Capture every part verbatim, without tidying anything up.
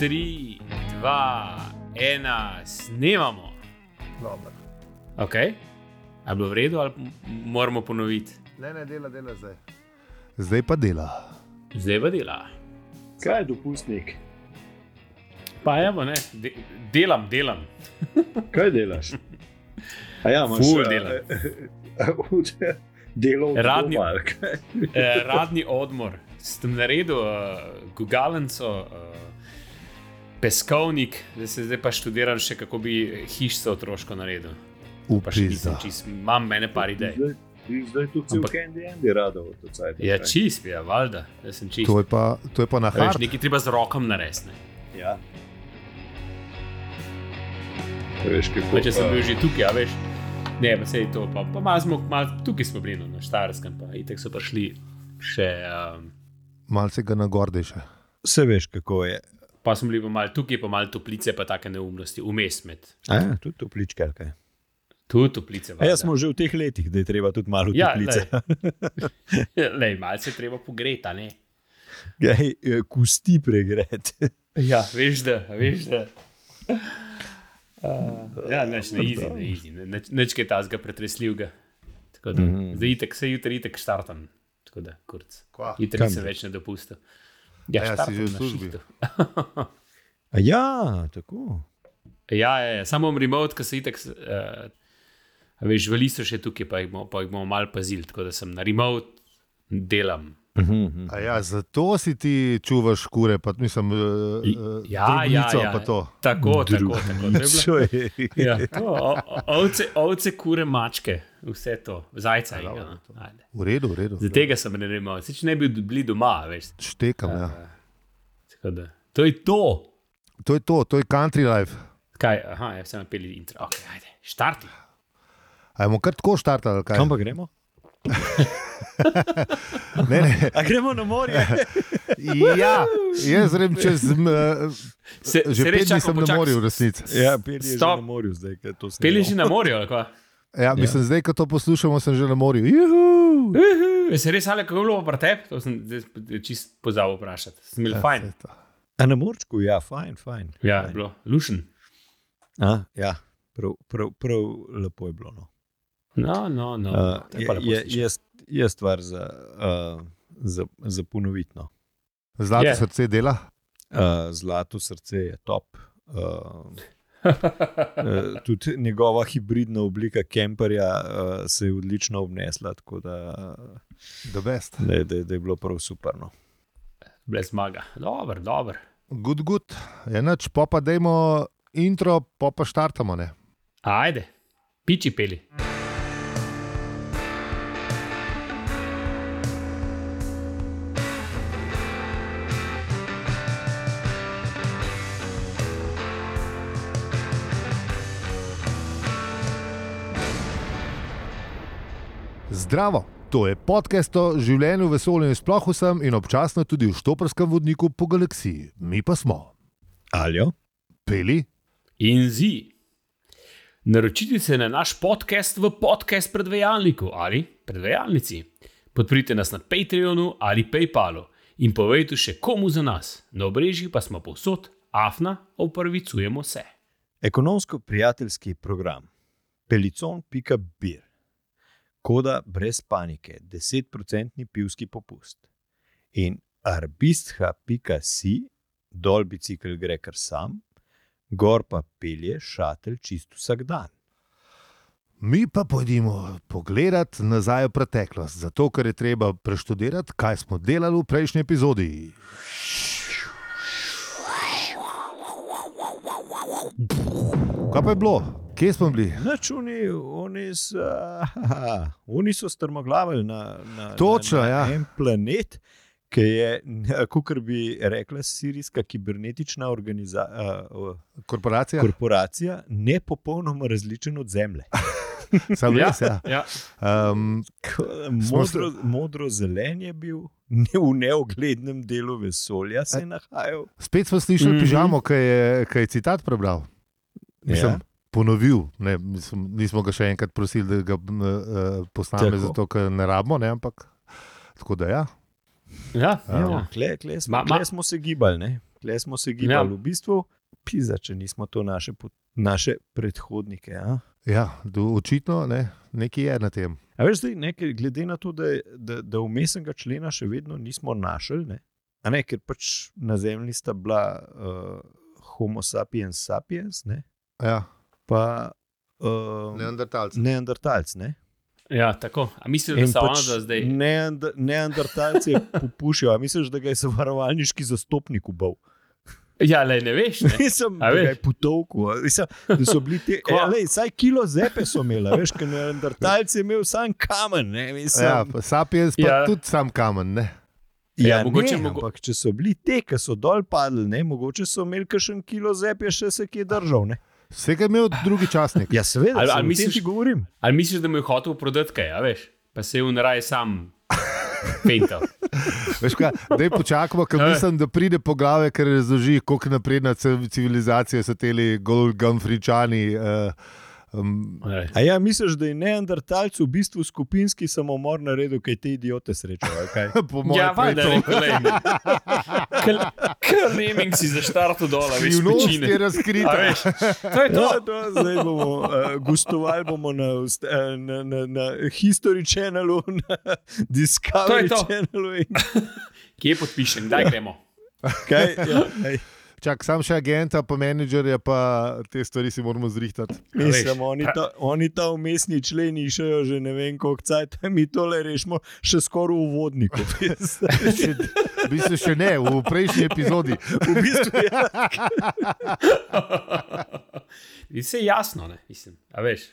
tri, dva, ena, snemamo. Dobro. Ok, a je bilo v redu ali moramo ponoviti? Ne, ne, dela, dela zdaj. Zdaj pa dela. Zdaj pa dela. Kaj je dopustnik? Pa evo, ne, de, delam, delam. Kaj delaš? A ja, imaš Ful delam. Delo v Radni- doma, ali kaj? Eh, radni odmor. Sem naredil uh, gugalnico, uh, peskovnik, zdaj se zdaj pa študiram še, kako bi hišce otroško naredil. Pa še nisem Upizda. čist, imam mene par idej. Zdaj, ti zdaj tu cel Ampak- Candy Andy rado v to cajt. Ja, čist, ja, valjda, da sem čist. To je pa, to je pa na A Veš, hard. nekaj treba z rokom narediti. ne. Ja. Veš, kako... Pa če sem pa- bil že tukaj, a veš. Ne, pa sej to, pa, pa malo smo, malo, tukaj smo bili no, na Štajerskem, pa itek so prišli še, um, Malce ga nagordejše. Vse veš, kako je. pa smo bili pa malo tukaj, pa malo toplice, pa take neumnosti, vmes med. A ja, tudi topličke, ali kaj? Tu toplice. A ja, smo že v teh letih, da je treba tudi malo Ja, toplice. Lej, malce je treba pogreti, a ne? Gaj, eh, kusti pregret. Ja, veš da, veš da. Uh, ja, neč ne easy, ne easy, ne, neč, neč kaj tazga pretresljivega. Tako da, Mhm. mm-hmm. zdaj itek, se jutri itek štartam, tako da, kurc. Kva? Jutri Kam se greš? več ne dopusta. Ja, si štartam že v na službi. šihtu. A ja, tako. Ja, ja, ja, samo remote, ki se itek, uh, veš, veli so še tukaj, pa jih bomo, pa jih bomo malo pazili, tako da sem na remote delam. Mhm. A ja, zato si ti čuvaš kure, pa mislim, uh, I- uh, ja, ja, drobnico, ja. pa to. Tako, tako, tako. To je bilo- Čo je? Ja, to, o, o, ovce, ovce, kure, mačke, vse to, zajca. Ja, Ja, dobro, no. V redu, v redu. Za tega sem ne vem, če ne bi bili doma, veš. Štekam, ja. Tako da, to je to. To je to, to je country life. Kaj, aha, ja, sem napeli intro. Ok, ajde, štarti. Ajmo kar tako štartali, ali kaj? Kam pa gremo? Ne, ne. A gremo na morje? Ja, jaz grem čez... m, Se, Že pet dni sem na morju, v resnici. Ja, Peli je že Stop. na morju zdaj, ker to snemamo. Peli že na morju, ali kva? Ja, mislim, zdaj, ko to poslušamo, sem že na morju. Juhu! Je se res ali kako je bilo pri tebi? To sem zdaj čist pozabil vprašati. Sem imel Ja, fajn. saj to. A na morčku, ja, fajn, fajn. Ja, je fajn. bilo lušen. A, ja, prav, prav, prav lepo je bilo. No. No, no, no. Uh, To je je, pa lepo je, slišati. je, je stvar za, uh, za, za ponovitno. Zlato Je. srce dela. Uh, Zlato srce je top. Uh, uh, tudi njegova hibridna oblika kemperja uh, se je odlično obnesla, tako da, The best. da, je- da, je- da je bilo prav super. No. Brez zmaga. Dober, dober. Good, good. Enač, pa pa dajmo intro, pa pa štartamo, ne? Ajde, piči peli. Zdravo, to je podcast o življenju, vesolju in sploh vsem in občasno tudi v štoprskem vodniku po galaksiji. Mi pa smo. Aljo? Peli? In zi. Naročite se na naš podcast v podcast predvajalniku ali predvajalnici. Podprite nas na Patreonu ali PayPalu in povejte še komu za nas. Na obrežjih pa smo povsod, afna, opravičujemo se. Ekonomsko-prijateljski program pelicon pika bir. Koda brez panike, deset procentni pivski popust. In arbistha pika si, dol bicikl gre kar sam, gor pa pelje šatelj čist vsak dan. Mi pa pojdimo pogledat nazaj v preteklost, zato ker je treba preštudirati, kaj smo delali v prejšnji epizodi. Kaj pa je bilo? Kje smo bili? Nač oni, oni, so, aha, oni so strmoglavili na, na, Točno, na, na ja. en planet, ki je, kot bi rekla sirijska kibernetična organiza, uh, Korporacija? korporacija, ne popolnoma različen od Zemlje. Sam res, ja. ja. Um, Modro, modro-zelen je bil, ne v neoglednem delu vesolja se je nahajal. spet smo slišali Mhm. pižamo, ki je, ki je citat prebral. Mislim, Ja. ponovil. Ne, mislim, nismo ga še enkrat prosili, da ga uh, posname, Tako. zato ker ne rabimo, ne, ampak tako da ja. Ja, Ja. ja. Kle, kle, smo, Ma- ma- kle smo se gibali. Ne? tle smo se gibali Ja. v bistvu, pizda, če nismo to naše, pot- naše predhodnike. A? Ja, do, očitno ne, nekaj je na tem. A veš, zdaj, nekaj, glede na to, da, da, da vmesnega člena še vedno nismo našli, ne? A ne, ker pač na zemlji sta bila uh, Homo sapiens sapiens, ne? Ja, Pa uh, neandertalci. neandertalci. Ne? Ja, tako. A misliš, da In so pač ona, da zdaj... neand- neandertalci popušijo. A misliš, da ga je zavarovalniški zastopnik ubal? Ja, lej, ne veš, ne? Nisem, A da ga veš? je potovku. Mislim, da so bili te, Kva? ja, lej, saj kilo zepe so imeli, veš, ker neandertalci je imel sam kamen. Ne, mislim, Ja, pa sapiens pa Ja. tudi sam kamen. Ne? ja, ja, mogoče ne, mogo- ampak če so bili te, ki so dol padli, ne, mogoče so imeli kakšen kilo zepe, še se kje držal. Ne. Vsega je imel drugi časnik. Ja, seveda, Ali- ali, ali ali misliš, misliš- ti govorim. Ali misliš, da mu je hotel prodati kaj, a veš? Pa se je unraj sam pental. Veš kaj, daj počakamo, ker Ja. mislim, da pride poglavje, ker razloži, koliko napredna civ- civilizacija so teli Golgamfričani. Uh, um, Ej. A ja, misliš, da je neandertalc v bistvu skupinski samomor naredil, kaj te idiote srečajo? Kaj? po mojem Ja, valjda, rekel, lej. Kar neming si zaštartil dol, a veš, Skrivnost pečine. je A razkrita. veš, to je to. Ja, to, zdaj bomo uh, gostovali bomo na, ust- eh, na, na, na History Channelu, na Discovery To je to. Channelu. In, Kje podpišem, kdaj gremo? kaj, ja, ej, Čak, sam še agenta, pa menedžerja, pa te stvari si moramo zrihtati. mislim, oni ta, oni ta umestni členi išajo že ne vem koliko cajt, mi tole rešimo še skoraj v uvodniku. Še, v bistvu še ne, v prejšnji epizodi. v bistvu, ja. Vse je jasno, ne, mislim, a veš.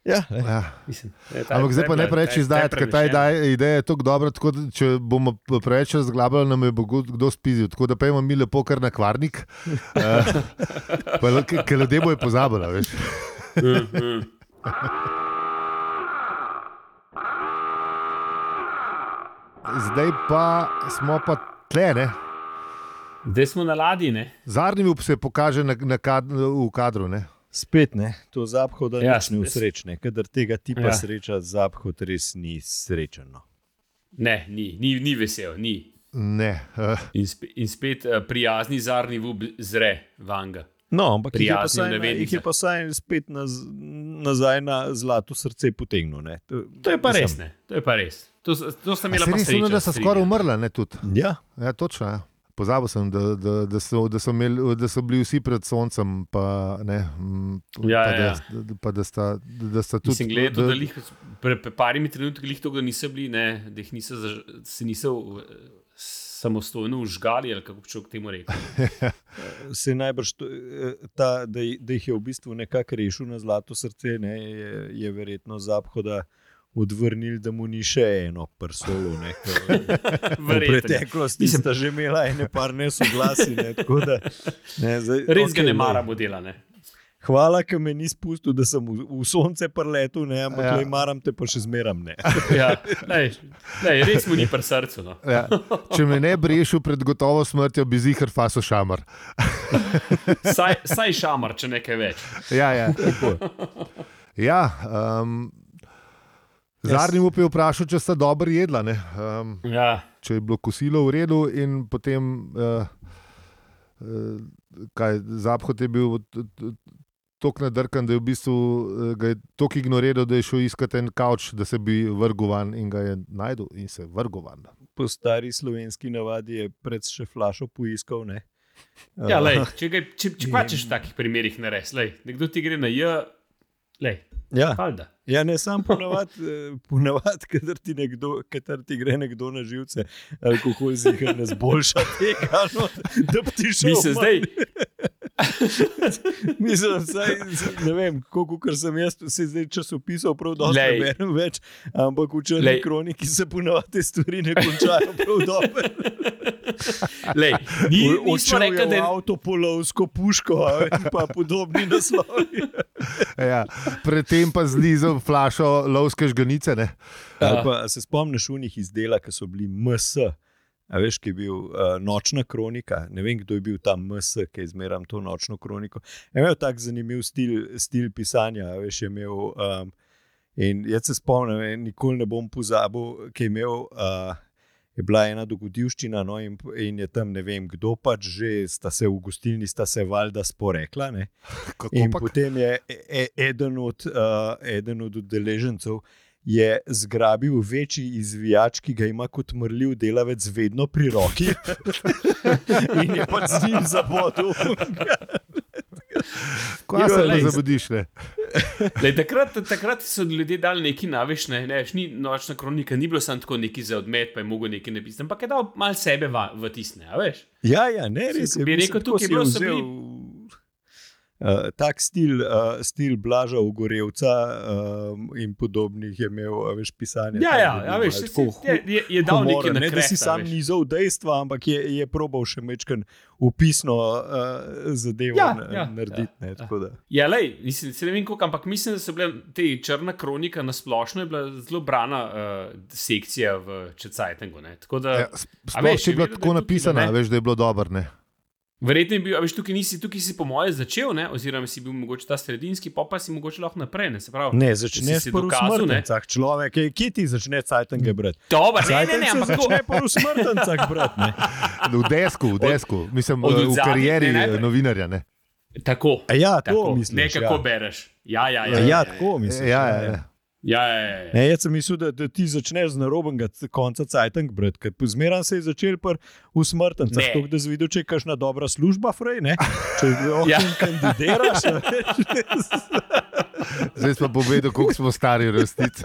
Ja, ej. Ja. Mislim, ne, ta- Ampak zdaj pa ta je ne bila- preveč ta je- izdajati, ta je ker ta prenešena. ideja- ideja je tako dobra, tako da če bomo preveč razglabljali, nam je bo kdo- kdo spizil. Tako da pejmo mi lepo kar na kvarnik, uh, pa, l- ker ljudje bojo pozabili, veš. Mm, mm. Zdaj pa smo pa tle, ne. Zdaj smo na ladji, ne? Zadnji se pokaže na, na kad, v kadru, ne. Spet ne, to zapho da Ja, nič ni s- usrečne, kadar tega tipa Ja. ja. sreča, zapho res ni srečen. No. Ne, ni, ni, ni vesel, ni. Ne. Uh, In, spe, in spet uh, prijazni zarni vub zre vanga. No, ampak jih je pa Prijazni v saj na- navednicah. jih je pa saj spet naz, nazaj na zlato srce potegnil. Ne. To, To je pa mislim, res, ne? To je pa res. To, s- to sta a imela se pa res srečo. ono, da so strinjam. skoraj umrla, ne tudi. Ja, Ja, točno. Ja. Pozabil sem, da, da, da, so, da, so imeli, da so bili vsi pred soncem, pa, ne, mm, Ja, pa, ja, da, da, pa da, sta, da sta tudi. Mislim, gledaj, to, da lih, pre, pre parimi trenutki lih to, da niso bili, ne, da jih niso, zaž, se niso uh, samostojno užgali, ali kako bi človek temu rekel. se najbrž to, eh, ta, da, ji- da jih je v bistvu nekako rešil na zlato srce, ne, je, je verjetno zapho, da odvrnili, da mu ni še eno prsolo. Ne, ko- V Verjetno. preteklosti Mislim- sta že imela ene par nesoglasi. Ne, tako da, ne, zdaj, Res ga okej, ne lej. mara modela, ne? Hvala, ker me ni spustil, da sem v, v sonce preletel, ne, ampak Ja. ja. maram te pa še zmeram. Ne. Ja, lej, lej, res mu ni pri srcu. No. Ja, če me ne bi rešil pred gotovo smrtjo, bi zihar faso šamar. Saj, saj šamar, če nekaj več. Ja, ja. ja um, Zadnji mu je vprašal, če sta dobro jedla. Ne? Um, Ja, če je bilo kosilo v redu, in potem, uh, uh, kaj, Zaphod je bil tako nadrkan, da je v bistvu uh, ga je tako ignoriral, da je šel iskat en kavč, da se bi vrgel van, in ga je najdel in se vrgel van. Po stari slovenski navadi je pred še flašo poiskal. Ne. ja lej, če, ga, če, če pa češ v takih primerih nares, lej, nekdo ti gre na J, lej, Ja. falda. Ja, ne sam ponavadi, eh, ponavad, kadar ti, nekdo, kadar ti gre nekdo na živce, alkohol zihar ne zboljša tega, no, da bi ti šel. Mislim, manj. zdaj, Mislim, saj, ne vem, koliko kar sem jaz se zdaj časopisal, prav dobro Glej. ne berem več, ampak v črni Glej. kroniki se ponavadi te stvari ne končajo prav dobro. lej, ni, nismo Odšel rekli, je da v je avtopolovsko puško, a veš, pa podobni naslovi. Ja, predtem pa zlizel flašo lovske žganice. Ne? Ali pa a se spomniš unih izdela, ki so bili M S. A veš, ki je bil uh, nočna kronika, ne vem, kdo je bil tam M S, ki je zmeram to nočno kroniko. Je imel tak zanimiv stil, stil pisanja, a veš, je imel. Um, in jaz se spomnim, in nikoli ne bom pozabil, ki je imel. Uh, je bila ena dogodivščina, no, in, in je tam ne vem kdo pač že, sta se v gostilni, sta se valjda sporekla. Ne? In pak? Potem je e, eden od, uh, eden od udeležencev je zgrabil večji izvijač, ki ga ima kot mrljiv delavec vedno pri roki in je pač z njim zabodil. Kaj se ne zabudiš, ne? Lej, takrat, takrat so ljudje dali neki naveš, ne, ne, ni nočna kronika, ni bilo samo tako neki za odmet, pa je mogel neki napisati, ampak je dal malo sebe v, v tisne, a veš? Ja, ja, ne, res je. Bi rekel, tukaj je bilo vzel... Uh, tak stil, uh, stil Blaža Ogorevca uh, in podobnih je imel, veš, pisanje. Ja, ja, ja veš, je, je, je dal nekaj na kresta. Ne, da si sam nizal dejstva, ampak je, je probal še mečken upisno uh, zadevo ja, ja, narediti. Ja, ne, tako da. Ja, lej, mislim, se ne vem koliko, ampak mislim, da so bile te črna kronika na splošno je bila zelo brana uh, sekcija v Čecajtengu, ne, tako da... Ja, splošno je bila tako napisana, veš, da je bilo dobro, ne. Verjetno je bil, a veš, tukaj nisi, tukaj si po moje začel, ne, oziroma si bil mogoče ta sredinski, pa pa si mogoče lahko naprej, ne, se pravi. Ne, začneš po usmrtencah, človek, kje ti začne Cajtenge brati? Dobar, ne, ne, ne, ampak začne po usmrtencah brati, ne. V desku, v desku, mislim, od, v karieri ne, ne, novinarja, ne. Tako, a ja, to tako, misliš, ne, kako ja. bereš. Ja, ja, ja. Ja, ja, ja tako misliš. Ja, ja, ja. Ja, ja, ja. Ne, jaz sem mislil, da, da ti začneš z narobnega konca Cajteng brati, ker zmeraj se je začel pri usmrtencah, tako da zvidel, če je kakšna dobra služba, frej, ne? Če ja. kandidiraš. Zdaj smo povedali, koliko smo stari resnici.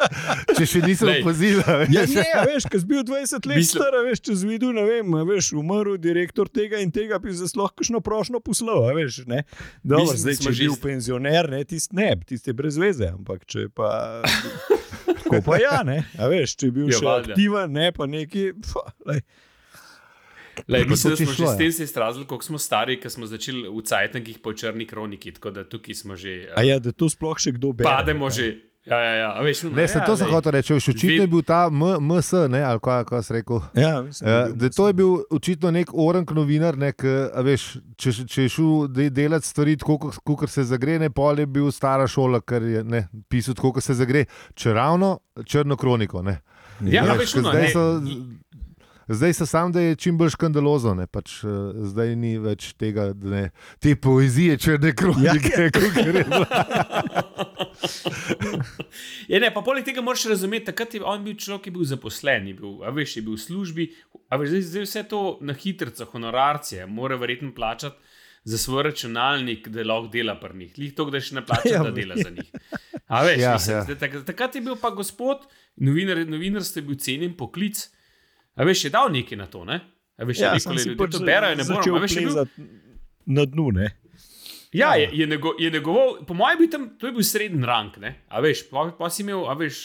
Če še nisem opazil. Ja, ne, veš, ker si bil dvajset let Mislim... star, veš, če zvidel, ne vem, veš, umrl direktor tega in tega, bi se lahko kakšno prošnjo poslal, veš, ne? Dobro, zdaj, če je bil penzioner, ne, tist ne, tist je brez veze, ampak če pa... Tako pa ja, ne, a veš, če je bil ja, še valda. Aktiven, ne, pa neki, pa, lej. Lej, mislim, da smo že s tem se izrazili, koliko smo stari, ker smo začeli v Cajtengih po črni kroniki, tako da tukaj smo že... A ja, da to sploh še kdo bere. Pademo ne. Že, ja, ja, ja, a veš... Ne, se ja, to sem hotel reči, očitno je bil ta M S, ne, ali kaj, kaj si rekel. Ja, mislim, uh, da to je bil očitno nek orank novinar, ne, k, a veš, če, če je šel delati stvari tako, kot se zagre, ne, pol je bil stara šola, ker je ne, pisal tako, kot se zagre, če ravno črno kroniko, ne. Ja, ja veš, no, ne. So, Zdaj se sam, da je čim bolj škandalozo, ne, pač uh, zdaj ni več tega, ne, te poezije črne kronike, ja. Kot je bilo. Ja, ne, pa poleg tega moraš razumeti, takrat je on bil človek, ki je bil zaposlen, je bil, a veš, je bil v službi, a veš, zdaj, zdaj vse to na hitrca, honorarcije, mora verjetno plačati za svoj računalnik, da lahko dela pri njih. Lih to, da še ne plača, ja, da dela za njih. A veš, ja, mislim, ja. Zdaj, tak, takrat je bil pa gospod, novinar, novinarstvo je bil cenjen poklic. A veš, je dal nekaj na to, ne? A veš, ja, nekoli ljudi to berajo, ne moram. A veš, je bil... na dnu, ne? Ja, je, je, nego, je negoval, po mojem bi tam, to je bil srednji rang, ne? A veš, pa, pa si imel, a veš,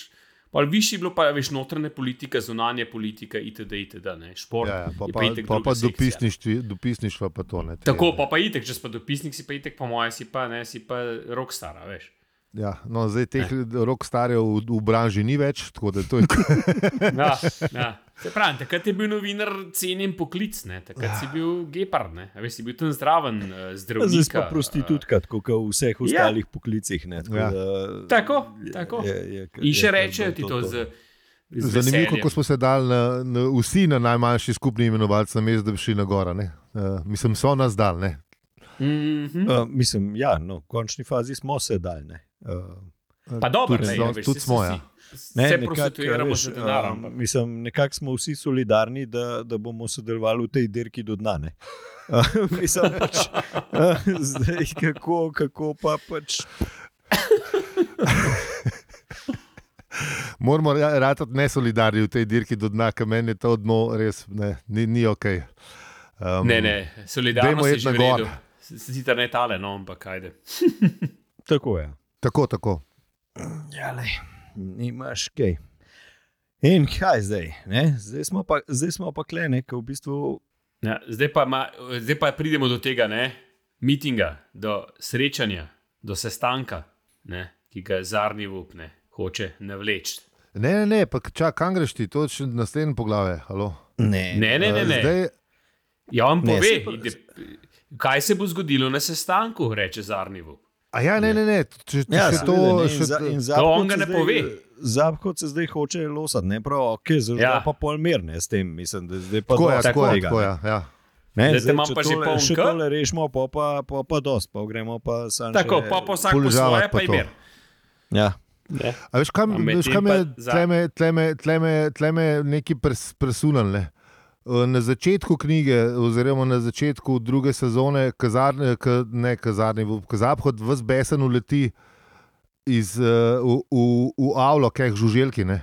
pa višji bilo pa, a veš, notranja politika, zunanja politika, itd., itd., ne? Šport, ja, ja, pa, je pa, pa itek pa, pa dopisništvo pa to, ne? Tako, pa pa itek, če si pa dopisnik, si pa itek, po mojem, si pa, ne, si pa rockstar, a veš. Ja, no, zdaj teh rockstarjev v, v branži ni več, tako da to je... Ja, ja. Se pravi, takrat je bil novinar cenjen poklic, ne? Takrat ja. Si bil gepard, ne? A veš, si bil tam zdraven uh, zdravnika. Zdaj si pa prostitutka, tako kot v vseh ostalih ja. Poklicih, ne? Tako, ja. da, tako, tako. Je, je, je, in še rečejo ti to, to z, z zanimivo, kako smo se dali na, na, vsi na najmanjši skupni imenovalci na mesto, da bi šli na gora, ne? Uh, mislim, so nas dal, ne? Mm-hmm. Uh, mislim, ja, no, v končni fazi smo se dal, ne? Uh, pa dobro, ne, ja, tudi smo, ja. Ne, se prostituiramo z denarom. Uh, mislim, nekako smo vsi solidarni, da, da bomo sodelovali v tej dirki do dna, ne? Uh, mislim, pač, uh, zdaj, kako, kako pa pač... Moramo ratati nesolidarni v tej dirki do dna, ker meni je to dno res ne, ni, ni ok. Um, ne, ne, solidarnost je že v redu. Sicer ne tale, no, ampak ajde. Tako je. Tako, tako. Ja, lej, nimaš kaj. In kaj zdaj? Ne? Zdaj smo pa, zdaj smo pa kle, ne, v bistvu... Ja, zdaj, pa ma, zdaj pa pridemo do tega, ne, mitinga, do srečanja, do sestanka, ne, ki ga Zarnivup, ne, hoče navleči. Ne, ne, ne, pa čak, kam greš ti, to je še naslednje poglavje, halo? Ne, ne, ne, ne. ne. Zdaj... Ja, vam pove, ne, se pa... kaj se bo zgodilo na sestanku, reče Zarnivup. A ja, ne, ne, ne. Če, če Ja, še to, seveda, ne, še, in za- in To on Zapkot ga se ne zdaj- pove. Zapkot se zdaj hoče losati, ne prav, ok, zdaj Ja. ja. pa pol mer, ne, s tem, mislim, da zdaj pa tako je, dosti tako je, tega, tako ne. je, ja. Ne, Zdaj te zdaj, imam če pa že tole, poln še K. tole rešimo, pa pa, pa, pa dost, pa gremo pa sam Tako, še... pa po vsak po Poližavati svoje, pa pa je to. mir. Ja. Ne. A veš, kam, A medtem veš, kam je pa za- tleme, tleme, tleme, tleme neki pres, presunal, ne? Na začetku knjige, oziroma na začetku druge sezone, kazarne, k, ne kazarni, Zapkot ves besen uleti iz, uh, v, v, v avlo, keh žuželki. Ne?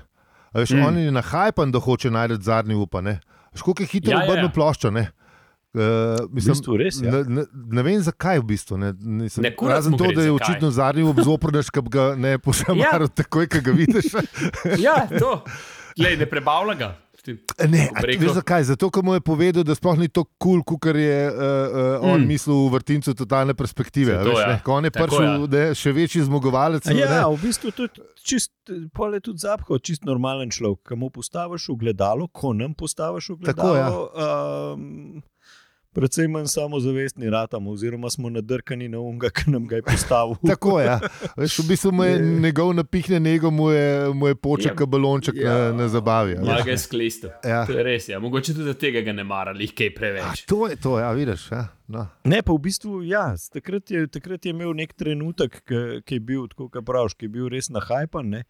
A veš, Mm. mm. On je nahajpan, da hoče najti zadnji upa. Ne? Veš, koliko je hitro Ja, ja, obrnil ja. ploščo. Ne? Uh, V bistvu res, ja. ne, ne, ne vem, zakaj v bistvu. Ne, nisem, Ne, kurac razen mu to, gre, da je zakaj. očitno zadnji up zoprneš, ki ga ne pošamaral, ja. takoj, ko ga vidiš. Ja, to. Glej, ne prebavlja ga. Ne, Bom a ti rekel- veš zakaj? Zato, ker mu je povedal, da sploh ni to kul, cool, kot je uh, uh, on Mm. mislil v vrtincu totalne perspektive. Saj to, Veš, ja. ne? Ko on je Tako, prišel, ja. ne, še večji zmagovalec. A Ja, ne. v bistvu tudi čist, pol je tudi Zapkot, čist normalen človek, ki mu postaviš v gledalo, ko nam postaviš v Tako, ja. gledalo. Um, predvsem manj samozavestni ratamo, oziroma smo nadrkani na unga, ki nam ga je postavil. Tako je. Ja. Veš, v bistvu mu je njegov napihne nego, mu je, mu je poček Ja. ja. balonček Ja. ja. na, na zabavi. Ja, Ja. ga je sklistil. Ja. To je res, ja. Mogoče tudi za tega ga ne marali, kaj A, preveč. to je to, ja, vidiš. Ja. No. Ne, pa v bistvu, ja, takrat je, takrat je imel nek trenutek, ki, ki je bil, tako kot praviš, ki je bil res nahajpan, ne?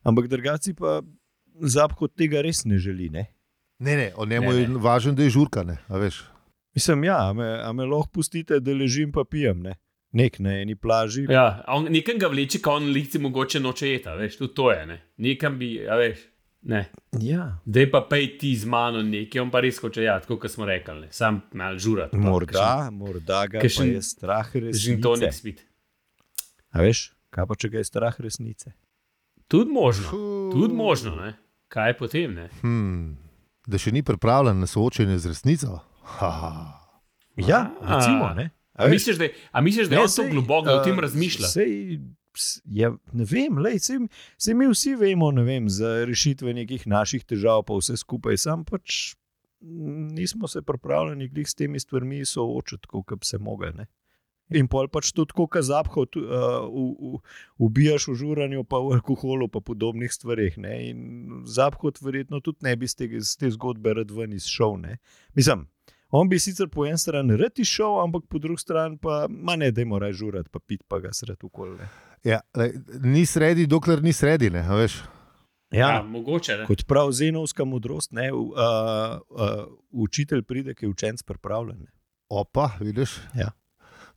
Ampak drugaci pa Zapkot tega res ne želi. Ne? Ne, ne, o njemu Ne, je ne. važno, da je žurka. Ne, a veš. Mislim, ja, a me, a me lahko pustite, da ležim pa pijem, ne? Nek na eni plaži. Ja, a on nekam ga vleče, ko on lici mogoče noče jeta, veš, tudi to je, ne. Nekam bi, a veš, ne. Ja. Dej pa pej ti z mano nekaj, on pa res hoče, ja, tako kot smo rekli, ne. Sam malo žurat. pa Morda, morda ga pa kakšen je strah kakšen žintonik resnice. spit. A veš, kaj pa če ga je strah resnice? Tudi možno, tudi možno, ne. Kaj potem, ne? Hmm. Da še ni pripravljen na soočenje z resnico. Ha, ha. Ja, A. recimo, ne? A misliš, da je, a misliš, da je Ne, on to sej, globoko, da o tem eh, razmišlja? Sej, s- ja, ne vem, lej, sej, sej mi vsi vemo, ne vem, za rešitve nekih naših težav, pa vse skupaj, sam pač mm, nismo se pripravljeni glih s temi stvarmi soočiti, kot bi se mogli. Ne? In pol pač tudi, kot Zapkot, uh, v, v, ubijaš v žuranju, pa v alkoholu, pa podobnih stvareh. Ne? In Zapkot verjetno tudi ne bi z te, z te zgodbe rad ven izšel. Ne? Mislim, on bi sicer po eni strani rad izšel, ampak po drugi strani pa, ma ne, dajmo raj žurati, pa pit pa ga sred okolje. Ja, lej, ni sredi, dokler ni sredi. Ne, a veš. Ja, Ja, mogoče, ne. kot prav zenovska modrost, ne, uh, uh, učitelj pride, ki je učenc pripravljen. ne. Opa, vidiš? Ja.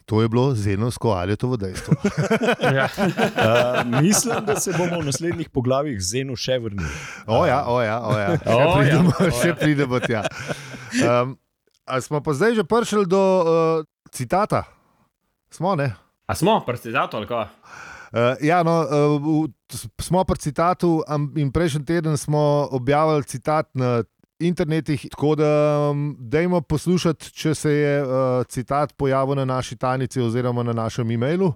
To je bilo zenovsko ali to v dejstvu. Ja. Uh, mislim, da se bomo v naslednjih poglavjih z Zenu še vrnili. O ja, o ja, o ja. Še O ja, pridemo, o ja. še pridemo tja. Um, a smo pa zdaj že prišli do uh, citata? Smo, ne? A smo, prstizato ali kaj? Uh, ja, no, uh, v- smo pri citatu am- in prejšnji teden smo objavili citat na internetih, tako da um, dajmo poslušati, če se je uh, citat pojavil na naši tajnici oziroma na našem e-mailu.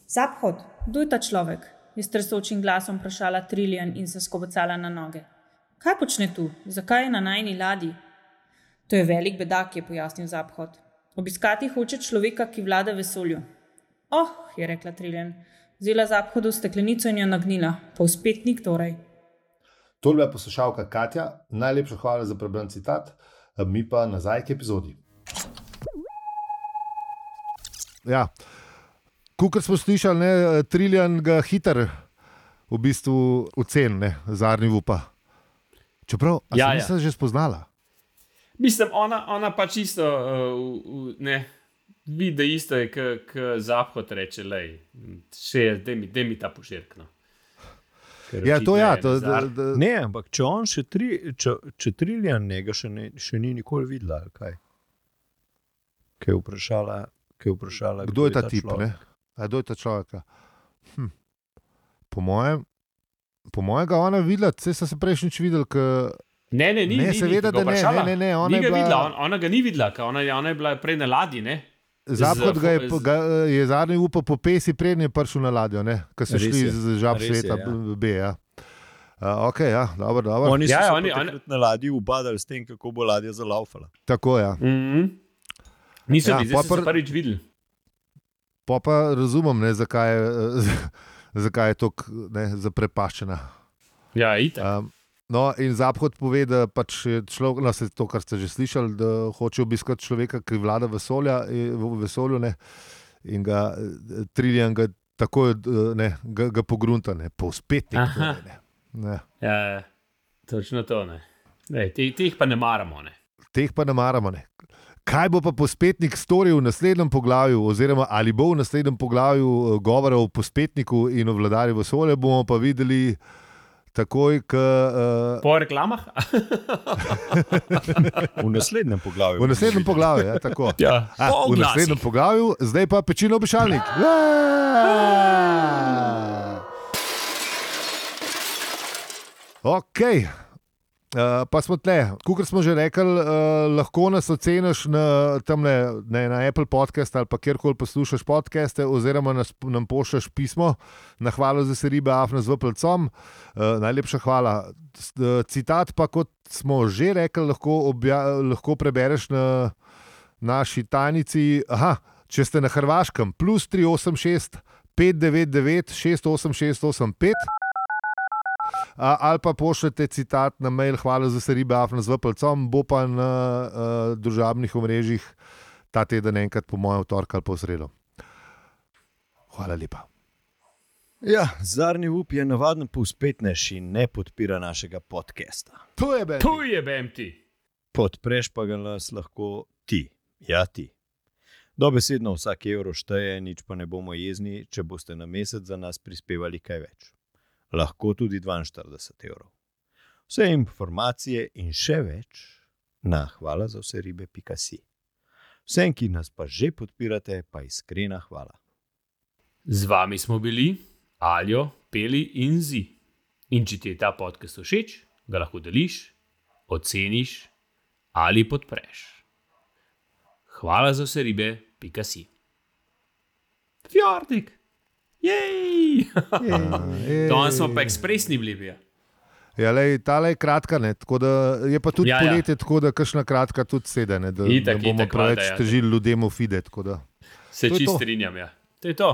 Zapkot, kdo je ta človek? Je s tresočim glasom vprašala Trillian in se skobacala na noge. Kaj počne tu? Zakaj je na najni ladji? To je velik bedak, je pojasnil Zapkot. Obiskati hoče človeka, ki vlada vesolju. Oh, je rekla Trillian. Vzela Zapkotu steklenico in jo nagnila. Povspetnik torej. To je bila poslušalka Katja, najlepša hvala za prebran citat, mi pa nazaj k epizodi. Ja. Kot smo slišali, ne, Trillian ga hiter v bistvu ocen, ne, zadnji upa. Čeprav, a Ja, se ja. nisem že spoznala. Mislim, ona, ona pač isto, uh, ne, vidi isto je, kot Zapkot reče, lej, še je, daj mi, daj mi ta poširk, no. Ker Ja, to očitno ja, je to, da, Zar- da, Ne, ampak če on še tri, če, če Trillian njega še, ne, še ni nikoli videla, ali kaj? Kaj je vprašala, kaj je vprašala kdo je ta tip, človek? ne? A kdo je ta človek? Hm. Po mojem, po mojem ga ona videla, saj so se prejšnjič videli, k... Ne, ne, ni, Ne, ni, seveda, ni, ga da ne, vprašala. ne, ne, ne, ona Ni je ga bila- videla, on, ona ga ni videla, ker ona, je- ona je bila prej na ladji, ne? Zapad Z- ga je, z- ga, je zadnji upal po pesi, prednje prišel na ladjo, ko so Res šli je, z žab res je, sveta ja. B. Ja. Uh, ok, ja, dobro, dobro. Oni so Ja, se oni- oni, oni- na ladji ubadali s tem, kako bo ladja zalaufala. Tako, ja. Mm-hmm. Niso Ja, bili, zdaj so pol se pr- prvič videli. Pa pa razumem, ne, zakaj, je, zakaj je tako zaprepaščena. Ja, itak. Um, no, in Zaphod pove, da pač je človek, no, se to, kar ste že slišali, da hoče obiskati človeka, ki vlada vesolja, v vesolju, ne, in ga eh, Trillian ga takoj eh, ne, ga, ga pogrunta, ne, povzpetnik. Aha. Torej, ne. Ne. Ja, ja, točno to. Ne. Ne, te, te jih pa ne maramo. Ne. Teh pa ne maramo. Ne. Kaj bo pa povzpetnik storil v naslednjem poglavju, oziroma ali bo v naslednjem poglavju eh, govora o povzpetniku in o vladarju vesolja, bomo pa videli takoj, ko. Uh, Po reklamah? V naslednjem poglavju. v naslednjem poglavju, ja, tako. Ja, A, po v oglasih. naslednjem poglavju, zdaj pa pečino obešalnik. Ok, uh, pa smo tle. Kot smo že rekli, uh, lahko nas oceniš na, tamle, ne, na Apple podcast ali pa kjerkoli poslušaš podcaste, oziroma nas, nam pošljaš pismo na hvalo za seribe afna z vplcom. Uh, najlepša hvala. S- uh, Citat pa, kot smo že rekli, lahko, obja, lahko prebereš na naši tajnici. Aha, če ste na Hrvaškem, plus tri osem šest pet devet devet šest osem šest osem pet. A, ali pa pošljete citat na mail hvala za seribe afna z vplcom, bo pa na uh, družabnih omrežjih ta teden enkrat po mojem torek ali po sredo. Hvala lepa. Ja, Zarni up je navaden povzpetnež in ne podpira našega podcasta. To je Ben. Tu je B M T. Podpreš pa ga nas lahko ti. Ja, ti. Dobesedno vsak evro šteje, nič pa ne bomo jezni, če boste na mesec za nas prispevali kaj več. Lahko tudi dvainštirideset evrov. Vse informacije in še več na hvala za vse ribe pika si. Vsem, ki nas pa že podpirate, pa iskrena hvala. Z vami smo bili Aljo, Peli in Zi. In če ti je ta podcast všeč, ga lahko deliš, oceniš ali podpreš. Hvala za vse ribe, pika si. Fjordnik! Jej! Danes smo pa ekspresni bili. Ja. Ja, lej, tale je kratka, ne, tako da je pa tudi Ja, ja, ja. poletje, tako da kakšna kratka tudi sede, ne, da Itak, ne bomo itak, preveč valjda, ja. težili ljudem v fide. tako da. Se To je čist to. strinjam. Ja. To je to.